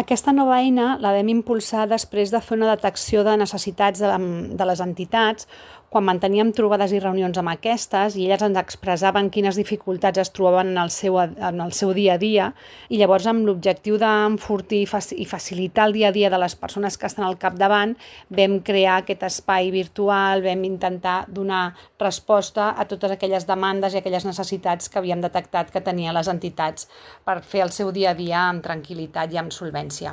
Aquesta nova eina la vam impulsar després de fer una detecció de necessitats de les entitats quan manteníem trobades i reunions amb aquestes i elles ens expressaven quines dificultats es trobaven en el seu dia a dia i llavors amb l'objectiu d'enfortir i facilitar el dia a dia de les persones que estan al capdavant vam crear aquest espai virtual, vam intentar donar resposta a totes aquelles demandes i aquelles necessitats que havíem detectat que tenien les entitats per fer el seu dia a dia amb tranquil·litat i amb solvència.